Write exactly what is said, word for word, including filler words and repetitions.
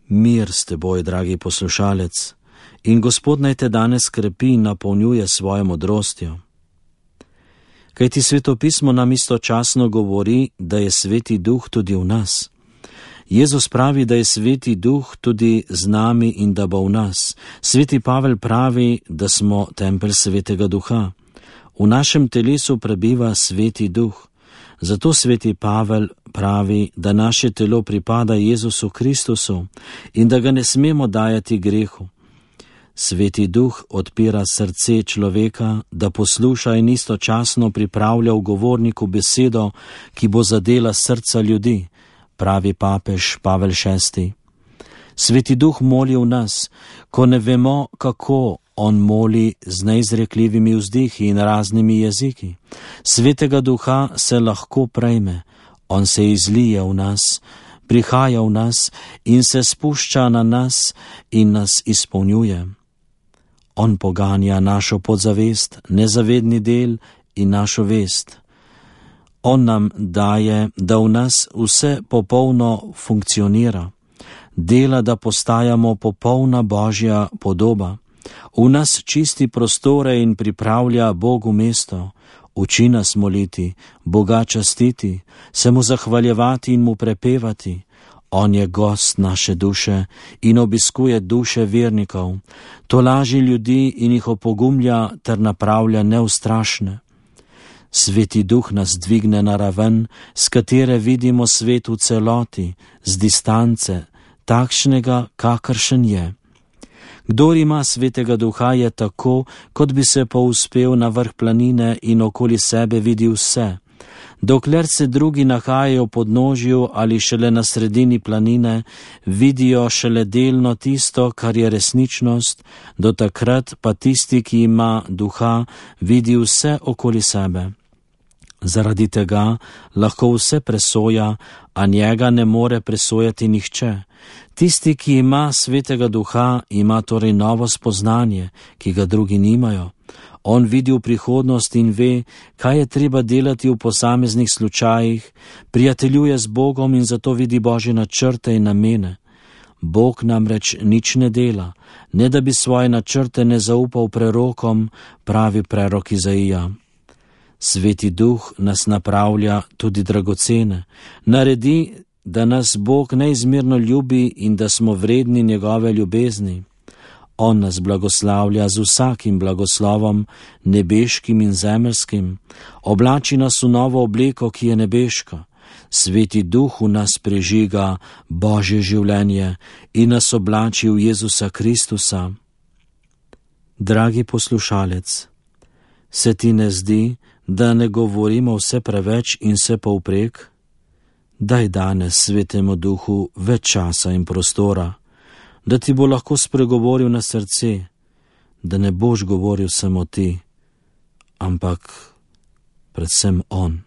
Mir s teboj, dragi poslušalec, in Gospod naj te danes krepi in napolnjuje svojo modrostjo. Kajti Svetopismo nam istočasno govori, da je Sveti Duh tudi v nas. Jezus pravi, da je Sveti Duh tudi z nami in da bo v nas. Sveti Pavel pravi, da smo tempelj Svetega Duha. V našem telesu prebiva Sveti Duh. Zato Sveti Pavel pravi, da naše telo pripada Jezusu Kristusu in da ga ne smemo dajati grehu. Sveti Duh odpira srce človeka, da posluša in istočasno pripravlja v govorniku besedo, ki bo zadela srca ljudi, pravi papež Pavel šesti. Sveti Duh moli v nas, ko ne vemo, kako on moli z neizrekljivimi vzdihi in raznimi jeziki. Svetega Duha se lahko prejme, on se izlije v nas, prihaja v nas in se spušča na nas in nas izpolnjuje. On poganja našo podzavest, nezavedni del in našo vest. On nam daje, da v nas vse popolno funkcionira, dela, da postajamo popolna Božja podoba. V nas čisti prostore in pripravlja Bogu mesto, uči nas moliti, Boga častiti, se mu zahvaljevati in mu prepevati. On je gost naše duše in obiskuje duše vernikov, tolaži ljudi in jih opogumlja ter napravlja neustrašne. Sveti Duh nas dvigne na raven, s katere vidimo svet v celoti, z distance, takšnega, kakršen je. Kdor ima Svetega Duha, je tako, kot bi se povzpel na vrh planine in okoli sebe vidi vse. Dokler se drugi nahajajo v podnožju ali šele na sredini planine, vidijo šele delno tisto, kar je resničnost, do takrat pa tisti, ki ima Duha, vidi vse okoli sebe. Zaradi tega lahko vse presoja, a njega ne more presojati nihče. Tisti, ki ima Svetega Duha, ima torej novo spoznanje, ki ga drugi nimajo. On vidi v prihodnost in ve, kaj je treba delati v posameznih slučajih, prijateljuje z Bogom in zato vidi Božje načrte in namene. Bog namreč nič ne dela, ne da bi svoje načrte ne zaupal prerokom, pravi prerok Izaija. Sveti Duh nas napravlja tudi dragocene, naredi, da nas Bog neizmerno ljubi in da smo vredni njegove ljubezni. On nas blagoslavlja z vsakim blagoslovom, nebeškim in zemeljskim, oblači nas v novo obleko, ki je nebeška. Sveti Duh v nas prežiga Božje življenje in nas oblači v Jezusa Kristusa. Dragi poslušalec, se ti ne zdi, da ne govorimo vse preveč in vse povprek? Daj danes Svetemu Duhu več časa in prostora, da ti bo lahko spregovoril na srce, da ne boš govoril samo ti, ampak predvsem on.